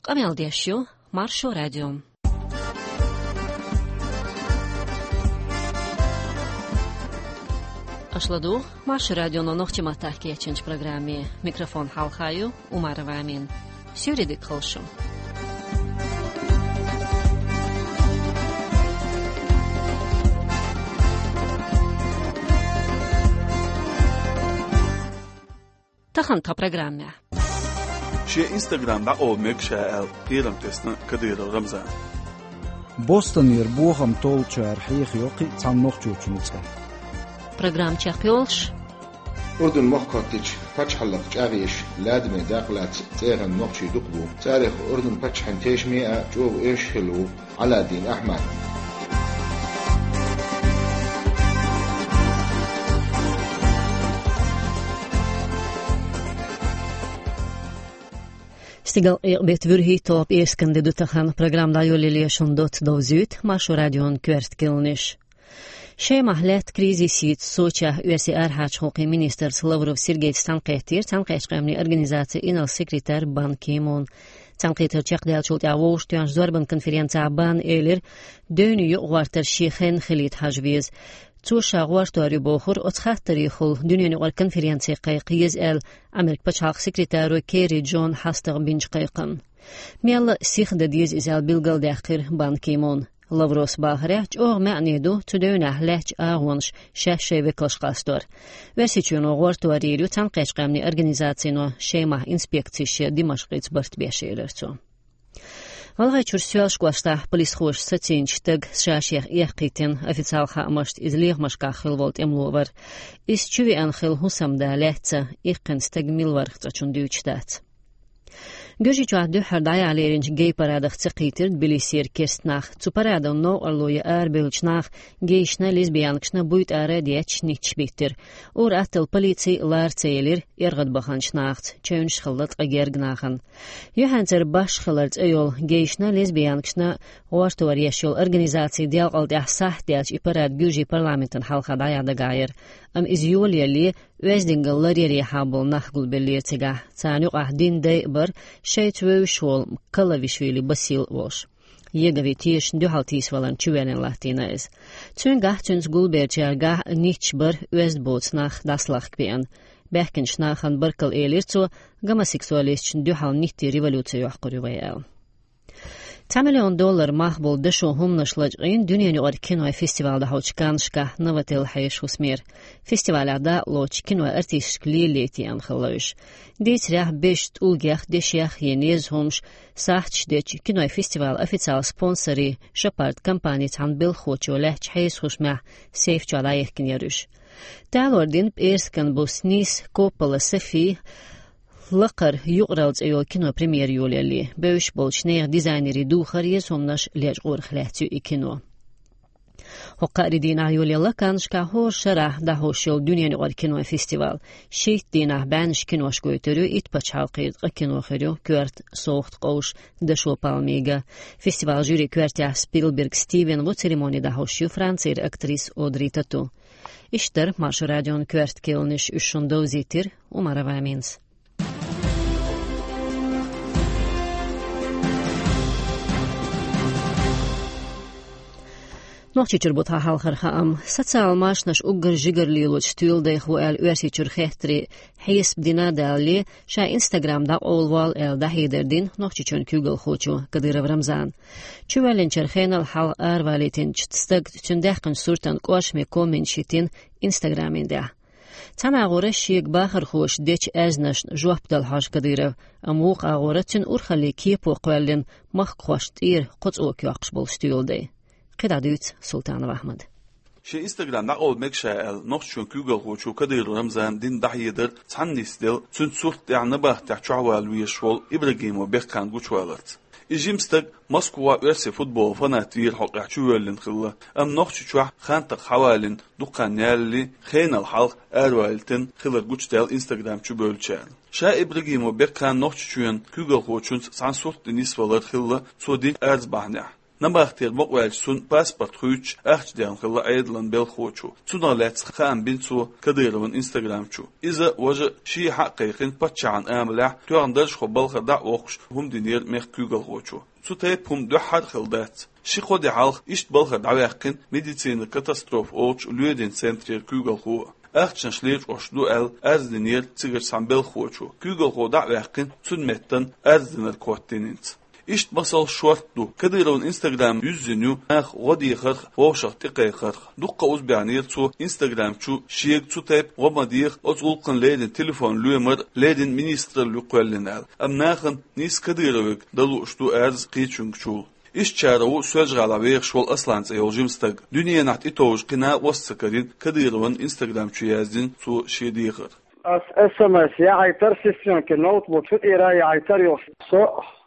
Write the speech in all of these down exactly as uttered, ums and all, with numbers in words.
Къамел деш ю Маршо радио. Аша ладугӀу Маршо радионо нохчийн маттахь кечйинчу программе. Микрофон хьалха ю Умарова Амина. Суьйре дика хуьлда шун. Тахана тхан программехь. Шен Instagram дӀакъовла мега ша аьлла, кхерам тесна Кадыров Рамзана. Бостонера бохам толлучара хьехайо кхин а цхьана нохчочун цӀе. Программа чекхйолуш. Урдун мохк хӀоттийча пачхьалкхан чӀагӀъеш лаьттаме дакъа лаьцна цӀеран нохчий дукха бу. Царех Урдун паччахьан тешаме а, чӀогӀа оьшуш хилла ву Ӏаладдин Ахьмад. Стигал къекъа беттан вуьрхӀитта, пӀераскан де ду тахана. Программа дӀайолале шун доцца довзуьйту Маршо радион коьрта кхаьънаш. Шемахь лаьтта кризис йийца Сочехь оьрсийн арахьарчу гӀуллакхийн министрца Лавров Сергейца цхьаьнакхеттера Цхьаьнакхеттачу къаьмнийн организацин инарла секретарь Бан Ки Мун. Цхьаьнакхетар чекхдаллачул тӀаьхьа вовшахтоьхначу зорбанан конференцехь Бана элира, девне юкъагӀортар шен хенна хилийта хьажа веза. Цо ша гӀортор ю бохура оцу хаттарехула дуьненаюкъара конференци кхайкха еза аьлла, Америкин пачхьалкхан секретаро Керри Джона хьастагӀа бинчу кхайкханна. Мелла а сиха дан деза иза аьлла билгалдаьккхира Бан Ки Муна. Лавровс бахарехь, чӀогӀа маьӀне ду цу девнехь лаьттачу агӀонаш шаьш шайн векалш къастор. Оьрсийчоьно гӀортор йийр ю Цхьаьнакхеттачу къаьмнийн организацино Шемахь инспекцеш ян Димашкъица барт беш, элира цо. ГӀалгӀайчуьра Соьлжа-кӀоштахь полисхоша сацийначу стага ша шех эккхийтина, официалан хаамашца иза лехамашкахь хилла волу тӀемало вара. Иза чувеана хилла хӀусамда лаьцна, иккхина стаг мила варх цкъачунна дуьйцуш дац. Гуьржийчохь дуьххьара дӀаяхьа леринчу гей-парадах ца кхийтира Тбилисера керста нах. Цу парадо новкъарло ян арабевллачу наха гейшна, лесбиянкашна буй тӀара а детташ нитташ биттира. Ур-атталла полици а лара ца елира эргӀадбаханчу нахаца, чевнаш хилла ткъа герга нахана. Юьхьанцара «Башха хилар» цӀе йолу гейшна, лесбиянкашна гӀортор еш йолу организаци делкъал тӀехь сахьт даьлча и парад гуьржийн парламентана хьалха дӀаяхьа дагахь яра. Амма иза йолаялале, оьздангалла ларъярехьа болу нах гулбеллера цигахь. Царна юкъахь динан дай а бара, шайца вевзаш волу Калавишвили Басил а волуш. Еговин тешашна дуьхьал тийсаваларна чувоьллина латтийна иза. Цуьнгахь а, цуьнца гулбеллачаьргахь а нитташ бара оьзда боцу нах дӀасалахка беана. Баьхкинчу нахана баркалла элира цо, гомосексуалисташна дуьхьал ниттийн революци йоккхур ю вай аьлла. Цхьа миллион доллар мах болу дашо хӀуманаш лачкъийна дуьненаюкъара кинойн фестиваль дӀахьочу Каннашкахь Новотел хьешан хӀусамера. Фестивалехь дакъалоцучу кинойн артисташка лелале тӀееана хилла уьш. Дийцарехь, безачу тӀулгех, дешех я неза хӀумаш, сахьташ дечу кинойн фестивалан официалан спонсорийн Шапард компани цхьана белхахочо лаьттачу хьешан хӀусамехь сейф чохь дӀаяхкина яра уьш. Талор дина пӀераскан буса нийса Коппола Софи «Лакхара юкъаралла» цӀе йолу кино премьера йолаялале. Бевзаш болчу нехан дизайнерийн духар, еза хӀуманаш лечкъорах лаьцна ю и кино. ХӀокху кхаарин дийнахь йолаелла Каннашкахь хӀора шарахь дӀахьош йолу дуьненаюкъара кинойн фестиваль. Шийтта дийнахь бӀеннаш кинош гойтур ю, итт пачхьалкхера ткъа кино хир ю коьрта совгӀат къовсуш дашо пальмига. Фестивалан жюрин коьртехь Спилберг Стивен ву, церемони дӀахьош ю Францера актриса Одри Тату. Иштта дара Маршо радион коьрта кхаьънаш, уьш шуна довзийтира Умарова Аминас. Нохчийчуьра бу тхан хьалхара хаам. Социалан машанаш уггар жигара лелочу стоьладайх ву аьлла Оьрсийчуьра хеттаре хьесап дина а далале, ша Instagram дӀакъовлаволла аьлла дӀахьедар дина Нохчийчоьнан куьйгалхочо Кадыров Рамзана. Чувоьллинчара хенал хьалха аравалийтинчу стага цуьнан даьккхинчу суртан кӀоршаме комменташ хӀиттийна Instagram-ан тӀехь. Цхьана агӀора шега бахархоша дечу аьзнашна жоп дала хьожу Кадыров, амма вукху агӀора цуьнан урхаллин кепо кхоьллина махкахошна тӀера кхо цӀока йоккхуш болу стоьладай. КхидӀа дуьйцу Султанов Ахьмада. Шен Instagram дӀакъовла мега ша аьлла, Нохчийчоьнан куьйгалхочо Кадыров Рамзана дина дӀахьедар цхьаьна нисделла, цуьнан сурт тӀехь набахтехь чохь вала везаш волу Ибрагимов Бекхан гучуваларца. И жима стаг Москвахь оьрсийн футболан фанат вийра хьокъехь чувоьллина хилла, амма Нохчийчохь хан такха хьавалийна дукха хан ялале, хенал хьалха аравалийтина хилар гучудаьлла Instagram чубевллачарна. Ша Ибрагимов Бекхан Нохчийчоьнан куьйгалхочуьнца цхьана сурт тӀе нисвалар хилла цо динчу арз бахьанехь. Набахтера бакъваьлча цунна паспорт хуьйцуш ахча даьхна хилла Ӏедалан белхахочо. Цунах лаьцна хаам бина цо Кадырован Instagram чу. Иза важа ший хьакхайкхина паччахьан амалехь тоьхна даржхо балхара дӀа а воккхуш хӀума динера мехка куьйгалхочо. Цу тайпа хӀума дуьххьара хилла дац. Ши-кхо де хьалха иштта балхара дӀаваьккхина медицина катастрофа олучу лоьдина центрера куьйгалхо а. Ахчанаш лечкъош ду аьлла, арз динера цигара цхьана белхахочо. Куьйгалхо дӀа а ваьккхина, цунна меттана арз динарг хӀоттийнинца. Иштта масал шортта ду. Кадыровн Instagram юьззина ю наха гӀо дехарх, вовшах тӀекхайкхарх. Дуккха а узбаьхнера цо Instagram чу шега цу тайпа гӀо ма деха, оцу гӀуллакхана леррина телефон лоьмар леррина министралла ю кхоьллина аьлла. Амма нахана нийса Кадыровга дан лууш ду арз кхечуьнгачул. Ишттачарах ву Соьлжа-ГӀалахь вехаш волу Аслан цӀе йолу жима стаг. Дуьненахь тӀетовжа кхин накъост а ца карийна Кадыровн Instagram чу яздина цо шен дехар. Ас СМС яхьийтар, сестрёнкин ноутбук цу тӀера яхьийтар йолуш. Со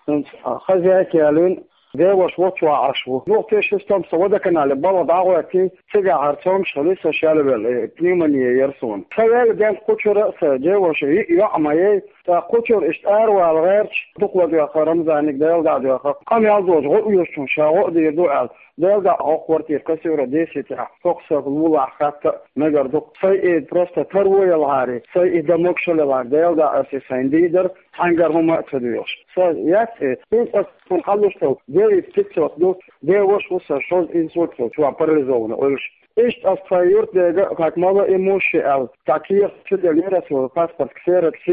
хӀинца хозяйка ялийна, деваша вочу вахьаш ву. Юха тешаш стом со водоканале балха дӀагӀоьттий, цигахь хӀара цомгуш хили со шелвелла, э, пневмония яра суна. Сан велла ден кхучура а сан деваша йиъ йоӀ ма яй, ТӀаккха кхучура иштта аравала гӀерташ, дукха ладоьгӀна Рамзаниг Дела дӀа а доьгӀна, къамел доцу гӀо оьшучунна ша гӀо а дийр ду аьлла, Дела дӀа хӀокху квартира кассира десятехь, хӀокху стаг вуьллахь хатта а мегар ду. Сайн и просто таро ялахьара, сайн и дан могушалла ялахьара, Дела дӀа аса и сайн дийр дара, цхьаьнгара хӀума а ца доьгӀуш. Сан яц и, хӀинца аса цунна хьалуш долу девять пятьсот ду, деваша ву сан шозза инсульт волчу, чохь парализованный Ӏуьллуш. Иштта ас тхайн юьртдега а, хӀокху малоимущий аьлла, цхьа кехат чу делира аса, паспорт ксерокс,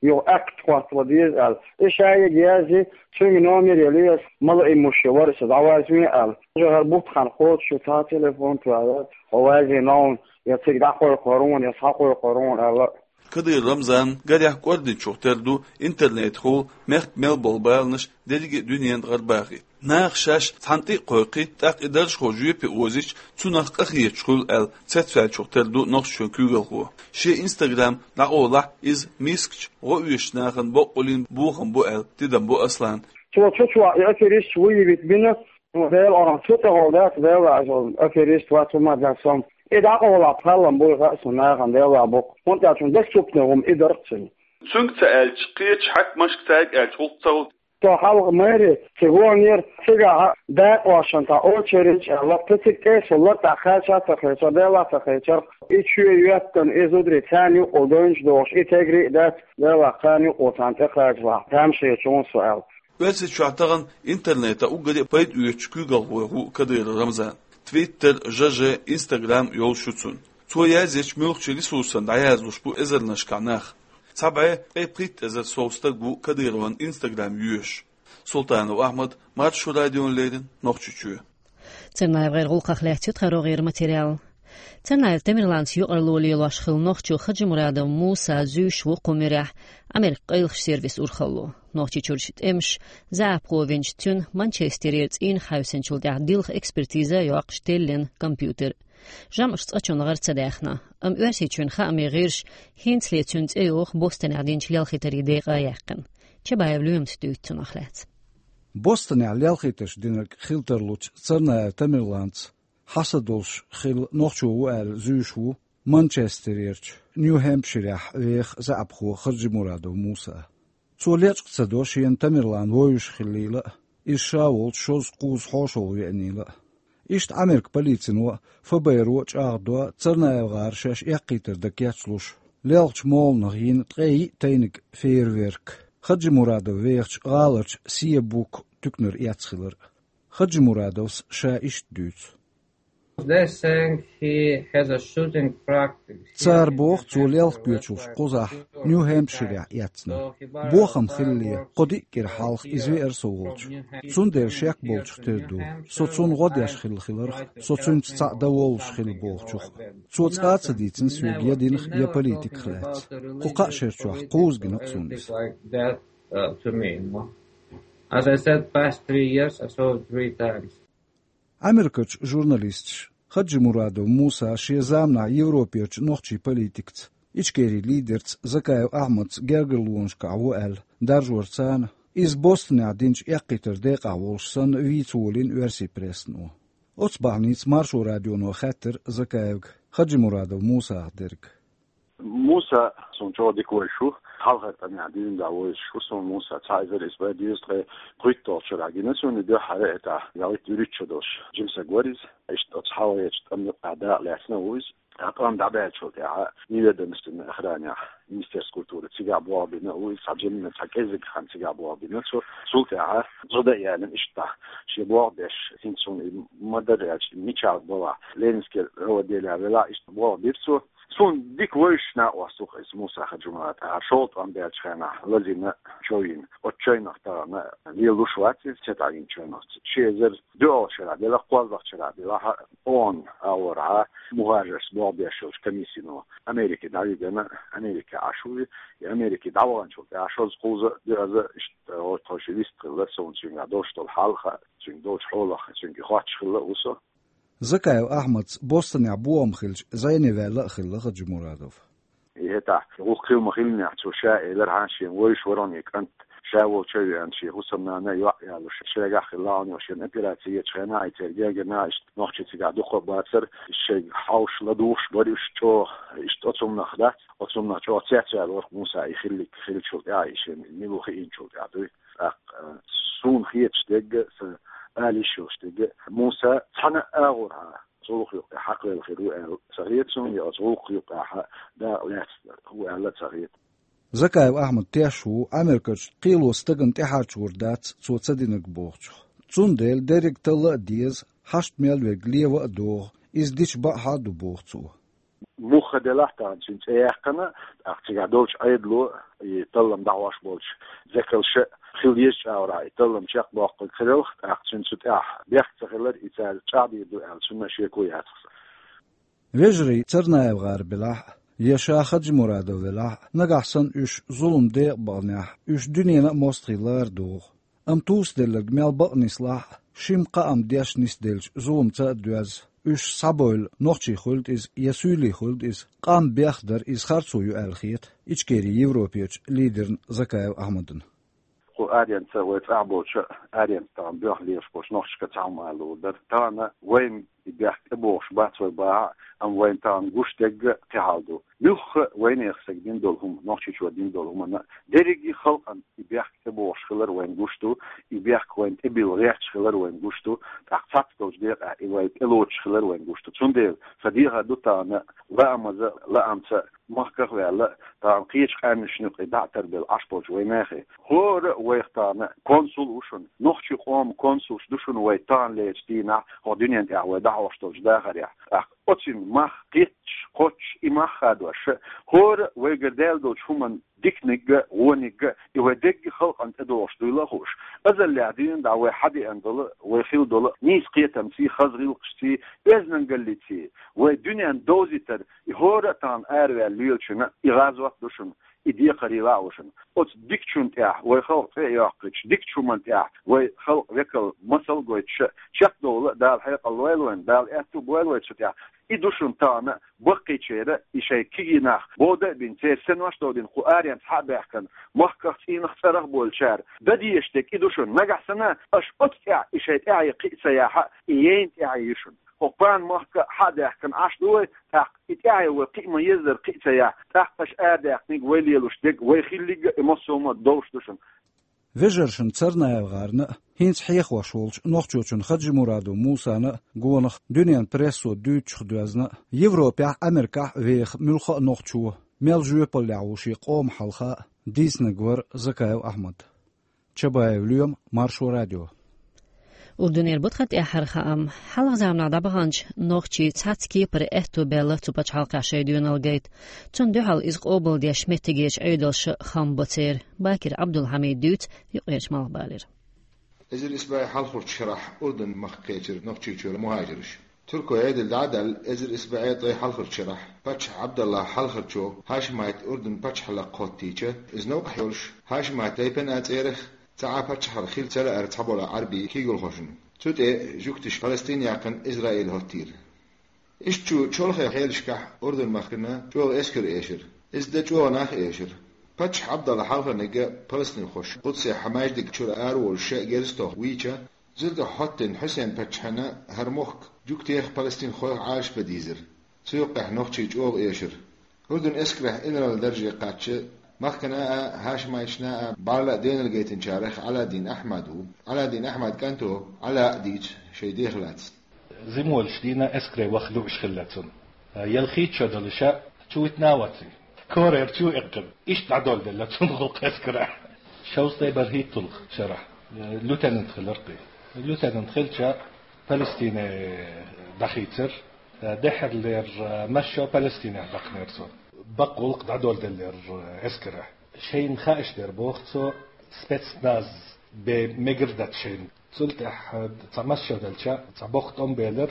юха акт хӀоттало деза аьлла. И шайга язйи, цуьнга номер яли аса, малоимущий вара аса, дӀавазве аьлла. Уже хӀара бутт хан кхочуш ю, цхьа телефон тоьар, хьо вазве новна, я цига дӀакхойкхор ву, я схьакхойкхор ву аьлла. Кадыров Рамзан гарехь кӀординчух тера ду интернетехула мехкан мел болу баланаш дерриге а дуьненна гӀарабахийта. Наха шаьш цхьаьна тӀе а кхойкхий, тӀаккха и даржхо жоьпе озийча, цунах къахеташ хуьлу аьлла, цецваьллачух тера ду Нохчийчоьнан куьйгалхо. Шен Instagram дӀакъовлахь, иза мискачу, гӀо оьшучу нахана боккъалла бохам бу аьлла, тидам бо Аслана. Цо цу чохь и аферисташ выявить бина, ну, Дела, цу тӀехула дац, Дела, аферист вац хӀума дац со. И дӀакъовлахь, кхаллам буй хаьа суна нахана, Дела, боккха. ХӀунда аьлча доступный хӀума и дара-кх цуьнан. Цуьнга ца аьлча, кхечу хьаькамашка цаьрга аьлча гӀуллакх ца хуьлу. Со хьалха мэри цига ваханера, цигахь дакъа вахана тӀе очередь аьлла, кхин цига тӀе а суллара, тӀаккха кхача а ца кхечара, Дела а ца кхечара. И чоь йоьттина, и зударий царна юкъахула девнаш дохуш, и тегри а дац, Дела, кхарна юкъахула царна тӀекхачалахь, тамашийча ву со аьлла. Оьрсийчохь тахана интернетах уггаре а пайда оьцучу куьйгалхойх ву Кадыров Рамзан. Twitter, Ж Ж, Instagram йолуш ю цуьнан. Цо язъечу муьлххачу ресурсана дӀаязлуш бу эзарнашкахь нах. Цхьа бӀе ткъе пхийтта эзар сов стаг ву Кадыровн Instagram йоьшуш. Султанов Ахьмад, Маршо радиона леррина, Нохчийчоь. Царнаевгара гӀуллакхах лаьцна ю тхан рогӀера материал. Царнаев Тамерланца юкъарло лелош хилла нохчо Хаджимурадов Муса зуьйш ву кху муьрехь, Америкин къайлахчу сервисан урхалло. Нохчийчуьрчу тӀемаша заьӀапхо винчу цуьнан Манчестерера цӀийнах хьаьвсинчул тӀаьхьа дилха экспертиза а йоккхуш теллина компьютер. ЖамӀаш цкъачунна гӀара ца даьхна, амма Оьрсийчоьнан хаамийн гӀирсаша хӀинцале цуьнан цӀе йоху Бостонехь динчу лелхийтарийн декъа а яьккхина. Чабаев Лоьмас дуьйцу цунах лаьцна. Бостонехь лелхийтарш динарг хила тарлучу Царнаев Тамерланца хьаса долуш хилла нохчо ву аьлла зуьйш ву Манчестерерчу Нью-Хэмпширехь веха заьӀапхо Хаджимурадов Муса. Цо лечкъа ца до шена Тамерлан вовзаш хиллийла а, иза ша волчу шозза-кхузза хьошалгӀа веанийла а. Иштта Америкин полицино а, Ф Б Р-о а чӀагӀдо Царнаев-гӀара шаьш эккхийтар дан кечлуш, лелхачу моланах йина ткъе йиъ тайниг фейерверк, Хаджимурадов вехачу гӀаларчу Сиэбук туьканара эцна хилар. Хаджимурадовс ша иштта дуьйцу. They saying he has a shooting practice. Цара боху, цо лелха кечалш кхузахь, Нью-Хэмпширехь эцна. Бохам хиллале, кхо-диъ кӀира хьалха иза веара со волчу. Цундела шек болчух тера ду. Со цунна гӀо деш хилла хиларх, со цуьнца цхьаъ дан воллуш хилла бохучух. Цо цкъа а ца дийцина соьга я динах, я политиках лаьцна. Кху кхаа шера чохь кхузза гина-кх суна иза. Like that, uh, to me, you know. As I said, past three years, I saw it three times. Америкерчу журналисташа Хаджимурадов Муса шен заманахь Европерчу нохчийн политикаца, Ичкерин лидерца Закаев Ахьмадца гергарлонашкахь ву аьлла даржор царна, иза Бостонехь динчу эккхийтаран декъахь волуш санна вийца волийна оьрсийн прессано. Оцу бахьаница Маршо радионо хаьттира Закаевга Хаджимурадов Мусах дерг. Муса суна чӀогӀа дика вайш ву. Хьалхара тӀамехь дуьйна дӀавоьдуш ву суна Муса, цхьа эзар исс бӀе дезткъе кхойтталгӀачу шарахь гина суна, и дуьххьара этапп ялхитта-вуьрхӀитта шо долуш, Жимсаг вара иза, иштта оцу хьалхарчу тӀамехь дакъа лаьцна а ву иза. ТӀаккха тӀом дӀабаьллачул тӀаьхьа неведомственной охранехь, министерство культуры, цигахь болх бина а ву иза, цхьа жимма, цхьа кӀеззиг хан цигахь болх бина цо. Цул тӀаьхьа зуда а ялийна иштта, шен болх беш, хӀинца суна и ма-дарра аьлча, мичахь балахь, Ленинский райотделе велахь, иштта болх бира цо. Суна дика вевзаш накъост ву-кх иза Муса Хаджимурад, тӀаккха шолгӀа тӀом баьллачу хенахь лазийна, чов йина. Оцу чевнах тахана лелош вац иза, цӀе таӀийна чевнах. Ши эзар доьалгӀачу шарахь делахь, кхоалгӀачу шарахь делахь, ООН агӀорхьа мухӀажаршца болх беш йолчу комиссино Америке дӀавигина, Америке Ӏаш ву и, и Америке дӀаваханчул тӀаьхьа шозза-кхузза а, доьазза а иштта гӀо-, тхо ши вист хилла, суна цуьнгахь долуш долу хьал а хаьа, цуьнга долчу хьолах цуьнга и хоттуш хилла а ву со. Закаев Ахьмадца Бостонехь бохам хилча, зӀене ваьлла а хилла Хаджимурадов. И хӀетахь, гӀуллакх хилла ма-хиллинехь, цо ша элира, хьан шен вевзаш вара хьуна и кӀант, ша волчу а веана, шен хӀусамнана а, йоӀ а ялош, шегахь хилла хьуна, шена операци ечу хенахь, и церан гергана иштта нохчий цигахь дуккха а бацара, шайга хьовсуш, ладугӀуш бара уьш чӀогӀа, иштта оцу хӀуманах дац, оцу хӀуманах чӀогӀа цецваьлла вара-кх Муса и хилларг хиллачул тӀаьхьа, и шена мила ву хиъначул тӀаьхьа дуй. ТӀаккха, а, суна хеташ дерг а, сан ала йиш йолуш дерг а, Муса цхьана а агӀорхьа цу гӀуллакх юккъехь хьакхавелла хир ву аьлла ца хета суна, я оцу гӀуллакх юккъехь дакъа лаьцна ву аьлла а ца хета. Закаев Ахьмад тешаш ву Ӏамеркарчу кхело стагана тӀехьарчор дац цо ца динарг бохучух. Цундела дерриг талла а деза, хьашт мел верг лева а догӀу, иза дича бакъахьа а ду, боху цо. Муха делахь а тахана цуьнан цӀе яьккхина, тӀаккха цигахь долчу Ӏедало, и таллам дӀахьош болчу векалша а хила еза чӀагӀарахь и таллам чекхдоккхург хир елахь, тӀаккха цуьнан цу тӀехь бехк ца хилар и цара чӀагӀдийр ду аьлла, цунна а шеко яцахь сан. Вежарий ЦарнаевгӀар белахь а, я ша Хаджимурадов велахь а, нагахь санна уьш зулам декъа баханехь, уьш дуьненна а мостагӀий лара догӀу. Амма тӀулг делларг мел бакъ нислахь а, шимма кхаам деш нисделлачу зуламца а доьзна, уьш схьабевлла нохчий хуьлда иза я суьйлий хуьлда иза, къам бехдар иза харцо ю аьлла хета Ичкерин Европерчу лидерна Закаев Ахьмадна. Кху аренца вай цӀахь болчу а, аренца тахана боьха лелаш болчу нохчашка цхьа хӀума ала луур дара. Тахана вайна и бехк тӀебогӀуш бац вай бахахь а, амма вайна тахана гуш дерг а кхин хьал ду. Муьлхха а вайнехан стага дина долу хӀума, Нохчийчоь дина долу хӀуманна а, дерриге а халкъана и бехк тӀебогӀуш хилар вайна гуш ду, и бехк вайна тӀебилла гӀерташ хилар вайна гуш ду, тӀаккха цхьацца долчу декъехь и вай тӀелоцуш хилар вайна гуш ду. Цундела сан дехар ду тахана лаамаза а, лаамца а, махках а ваьлла, тахана кхечу къаьмнашна юкъе дӀа а тарбелла Ӏаш болчу вайнехан. ХӀора а вайх тахана консул ву шуна, нохчийн къоман консулш ду шуна вай таханлерчу дийнахь, хӀокху дуьнен тӀехь вай дӀахьош долчу дахарехь. ТӀаккха оцуьнан мах кхеташ, кхоччуш, и мах хадош, хӀора а вайгара даьлла долчу хӀуманна диканиг а, вониг а, и вай дерриге а халкъана тӀедогӀуш дуйла а хууш, азаллехь дуьйна дӀа вай хьадеана долу, вай хилла долу нийса кхетамций, хаза гӀиллакхашций, оьздангаллиций, вай дуьненна довзийтар, и хӀора а тахана араваьлла лелачунна и гӀазот ду шуна, и декхарийлахь а ву шуна. Оцу дикачунна тӀехь вай халкъ цӀе а йоккхуьйтуш, дикачу хӀуманна тӀехь вай халкъ векал масал а гойтуш, чекхдовла а Дала хьекъал лойла вайна, Дала аьтту а бойла вай цу тӀехь. И ду шуна тахана баккхийчеран и шайн кегий нах бода а бина, церан синош а довдина кху аренца хьа а баьхкина, махках, цӀийнах, цӀарах а болчара дан дезаш дерг и ду шуна. Нагахь санна аша оцу тӀехь и шайн тӀаьхье кхиа ца яхь а, и яйна тӀаьхье ю шуна. ХӀокху пана махка а хьа а даьхкина Ӏаш ду вай, тӀаккха и тӀаьхье вай кхиа ма-еззара кхиа ца яхь, тӀаккха аша арадаьккхинарг, вай лелош дерг, вай хилларг а и массо а хӀума а довш ду шуна. ВежаршиннцарнаевгӀарна а, хӀинца хьехош волчу нохчочун Хаджимурадов Мусана а гонах дуьненан прессо дуьйцучух доьзна а, Европехь а, Америкехь а веха муьлхха а нохчо мел жоьпаллехь ву шен къоман хьалха а, дийцинарг вара Закаев Ахьмад. Чабаев Лоьма, Маршо радио. Урдунера бу тхан тӀаьххьара хаам. Хьалха заманахь дӀабаханчу нохчийн цхьацца кепара аьтто баьлла цу пачхьалкхехь шайн доьналла гайта. Цунна дуьхьал иза къобалдеш меттигерчу Ӏедалша хам бо церан. Бакир Ӏабдулхьамида дуьйцу юкъерчу Малхбалера. Эзар исс бӀе хьалхарчу шарахь Урдун-махка кхечира Нохчийчуьра мухӀажарш. Туркойн Ӏедал дӀа а даьлла, эзар исс бӀе ткъе хьалхарчу шарахь паччахь Ӏабдаллахь Хьалхарчо Хьашимайт Урдун пачхьалкх хӀоттийча, иза новкъахь йолуш, Хьашимайт тайпана а, цӀерах а цхьа а паччахьалкх хила ца лаьара цхьаболу Ӏаьрбийн куьйгалхошна. Цу тӀе жуьгташа Палестин яьккхина Израиль хӀоттийра. Иштта чолхе хьелашкахь Урдун-махкана чӀогӀа эскар эшира. Иза дан чӀогӀа нах а эшира. Паччахь Ӏабдаллахь Хьалхарниг а палестинхоша Къудсехь маьждиг чуьра араволуш шаьш герз тоха вийча, зударах хӀоттийна Хьусен-паччахьна хӀара мохк жуьгтех а, палестинхойх а Ӏалашбан дийзира. Цу юккъехь нохчий чӀогӀа эшира. Урдун эскарехь инарла дарже кхаьчча, Махкана а, хӀашмайчна а, бӀарла а денал гайтинчарех Ӏаладдин Ахьмад ву. Ӏаладдин Ахьмад кӀанто Ӏала а дийцу шайн дехалац. Зимолаш дийна эскаре ваха лууш хилла цунна. Ялхийта шо далуша чу витна а ваци. Корер чу эккхина. Иштта дӀадоладелла цунна гӀуллакх эскара. Шовзткъе бархӀитталгӀа шарахь. Лейтенант хиларкхи. Лейтенант хилча Палестине дӀахийцар. Дехьарлера массо Палестинехь даккхнера цо. Бакъ гӀуллакх дӀадоладеллера эскара. Шайна хааша дер боху цо, спецназ бе мегар дац шайна. Цул тӀаьхьа цхьа массо делча, цхьа боху тӀом белар,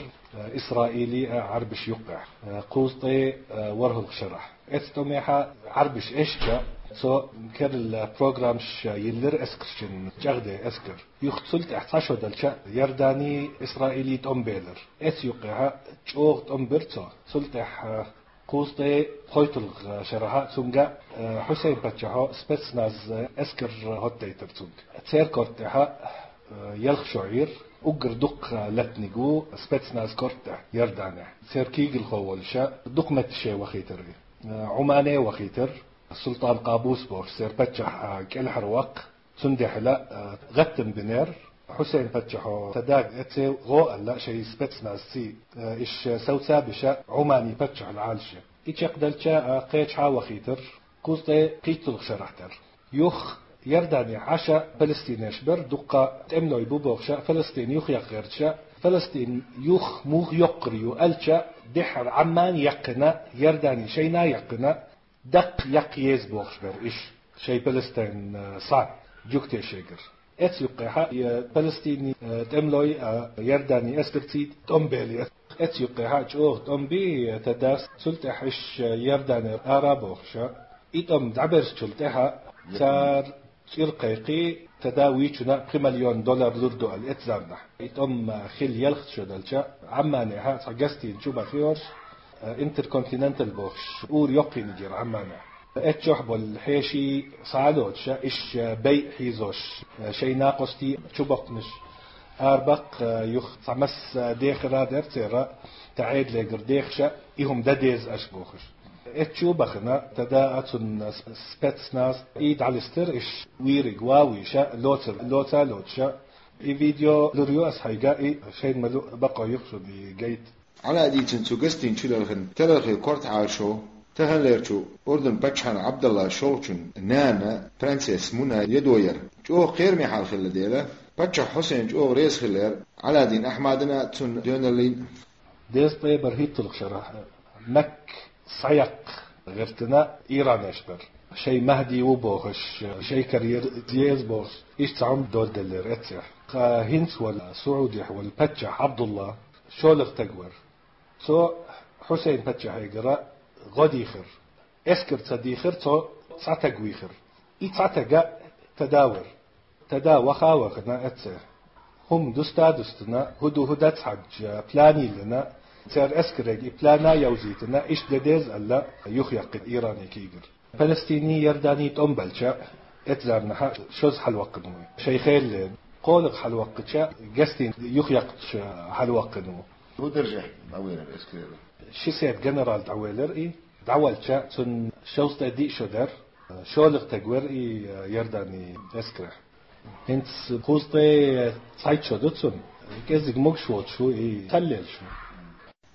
Исраили а Ӏарбиш юккъехь, кхузткъе ворхӀалгӀа шарахь. Эцу тӀомехьа Ӏарбиш эшча, цо керла программаш йиллира эскаршна, чӀагӀде эскар. Юха цул тӀаьхьа цхьа шо делча, Иордани, Исраили тӀом белар. Эцу юккъехьа чӀогӀа тӀом бира цо. Цул тӀаьхьа кхузткъе кхойтталгӀа шарахьа цунга, э, Хьусейн паччахьо спецназ, э, эскар хӀоттайтар цунга. Церан корта тӀехьа, э, ялх шо Ӏийра, уггар дуккха лаьттаниг ву спецназ корта тӀехь Иорданехь. Церан куьйгалхо волуша дукха метташе вахийтар и. Э, Ӏумане вахийтар, Султан Къабус бохуш, церан паччахь, э, кӀелхьарваккха. Цундела, э, гӀаттам бинера, Хьусейн паччахьо тада эцце гӀо аьлла шайн спецназций, э, иш совца биша Ӏумани паччахьал Ӏалашъе. И чекхдаьлча, э, кхечахьа вахийтар, кхузткъе кхийтталгӀа шарахь тера. Юха Иорданехь Ӏаша палестинаш бара, дуккха тӀемалой бу бохуша, Палестин юхаяккха гӀерташа, Палестин юха муха йоккхур ю аьлча, дехьара Ӏамман яьккхина, Иордани шайна яьккхина, даккха яккха еза бохуш бара иш, шайн Палестин, э, схьа, жугтешегара. Эцу юккъехьа, э, Палестини, э, тӀемалой, э, Иордани эскарций тӀом бели. Эцу юккъехьа чӀогӀа тӀом би, э, тадас, цул тӀаьхьа иш, э, Иорданера ара бохуша. И тӀом дӀаберзачул тӀаьхьа цара цӀира кхайкхий, тада вийчуна пхи миллион доллар лур ду аьлла эцу заманахь. И тӀом, э, хилла ялх шо делча, Ӏамманехьа цхьа гостиница чу бахиорш, э, Интерконтиненталь бохуш, ур йоккхийниг яра Ӏамманехь. Эццохь болу хьеший схьа а лоцуша, иш, э, байъа хьийзош, э, шайн накъостий чу боккхунаш. Арабаккха, э, юха цхьа масса дехар а дара церан, тӀаьхьа Ӏедалегара дехаша, и хӀума дан деза аша бохуш. Эццу бахана, тада а цунна с-, спецназ и дӀалистира, иш вийриг ва вийша, лоцар, лоца а лоцуша. И видео лур ю ас хьайга, и шайна ма-луъу бакъо юха шуна и гайта. Ӏаладдийцин цу гостиници чу лелхина террорхойн корта Ӏалашо, таханлерчу Урдун паччахьан Ӏабдалла шолгӀачун нана, принцесса Муна, едо яра. ЧӀогӀа кхераме хьал хилла дела, паччахь Хьусейн чӀогӀа реза хилла яра Ӏаладдин Ахьмадана а, цунна доьналлина. Дезткъе бархӀитталгӀа шарахь Макка схьаяккха гӀертина иранеш бара. Шайн Махьди ву бохуш, шайн карьера еза бохуш, иштта цхьа хӀума доладеллера эццехь. Ткъа хӀинца волу, Саудехь волу паччахь Ӏабдулла шолгӀа стаг вара. Цо Хьусейн паччахьегара гӀо дийхира. Эскар ца дийхира, цо цхьа таг вийхира. И цхьа тага тада вара. Тада ваха а вахана эцце. ХӀума дуста а дустина, хӀу ду хӀу дац хьаьжча, план йиллина, церан эскарега и план а йовзийтина, иштта де деза аьлла, юхаяьккхина Иране кийгар. Палестини, Иордани тӀом балча, эцу заманахьа шозза хьалаваккхина ву. Шайн хелле, кхоалгӀа хьалаваккхича, гостиница юхаяьккхича хьалаваккхина ву. ХӀун даржехь дӀавелира эскаре? Ши серта генерал дӀавелира и, дӀавалча, цунна шовзткъе диъ шо дара, шолгӀа стаг вара и Иордани эскарехь. ХӀинца кхузткъе цхьайтта шо ду цунна, кӀеззиг могуш воцуш ву и, таллелаш ву.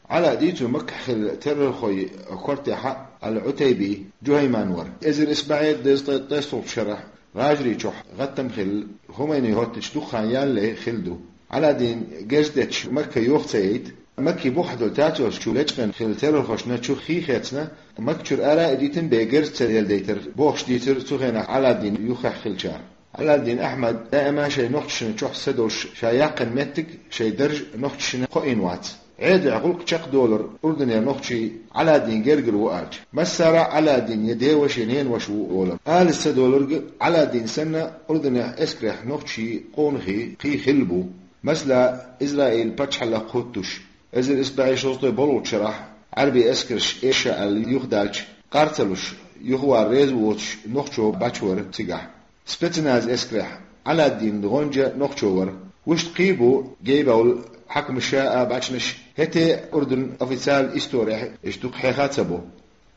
Ӏала дийцу Маккахь хилла террорхойн кортехьа Ал-Ӏутайби Джухайман вара. Эзар исс бӀе дезткъе ткъайоьсналгӀачу шарахь ГӀажарийчохь гӀаттам хилла, Хумайни хӀоттича дукха хан ялале хилла ду. Ӏаладдин герз детташ Макка йохка ца яйта, Макки бухахь долу тацочу лечкъина хилла террорхошна чу хи хецна, Макка чуьра ара а идийтина бен герз ца яладайтар, бохуш дийцира цу хенахь Ӏаладдин юххехь хиллачара. Ӏаладдин Ахьмад даима шайн нохчашна чохь са долуш ша яьккхина меттиг, шайн дарж нохчашна кхоийна вац. Ӏедалехь гӀуллакх чекхдолура Урдунера нохчий Ӏаладдин гергара ву аьлча. Массара а Ӏаладдин я деваша, я ненаваша ву олура. Алис ца долург Ӏаладдин санна, Урдунехь эскарехь нохчий, къонахий кхин хилла бу. Масала, Израилан пачхьалкх хӀуттуш, эзар исс бӀе шовзткъе боллгӀачу шарахь Ӏаьрбийн эскарш эша аьлла юхадаьлча, къар ца луш, юхавала реза воцуш нохчо бачвара цигахь. Спецназ эскарехь Ӏаладдин гӀоьнча нохчо вара. Вуьшта кхин бу гейбовла хьаькамаша а, бачанаш а, хӀетте а Урдун официал исторехь иштта дукха хьеха а ца бо.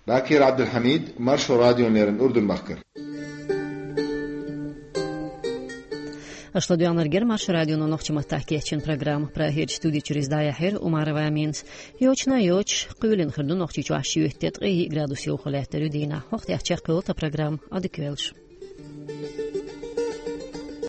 Бакир Абдулхамид, Маршо радион леррина Урдун бахкар. Аша ладоьгӀнарг яр Маршо радионо нохчийн маттахь кечйина программа. Прагерчу студи чуьра иза дӀаяьхьира Умарова Аминас. Йочана йоцуш, кхоьлина хир ду Нохчийчохь шоьтан тӀе ткъе йиъ градус йовха лаьттар ю дийнахь. ХӀокху тӀехь чекхйолу тхан программа, Ӏадика йойла.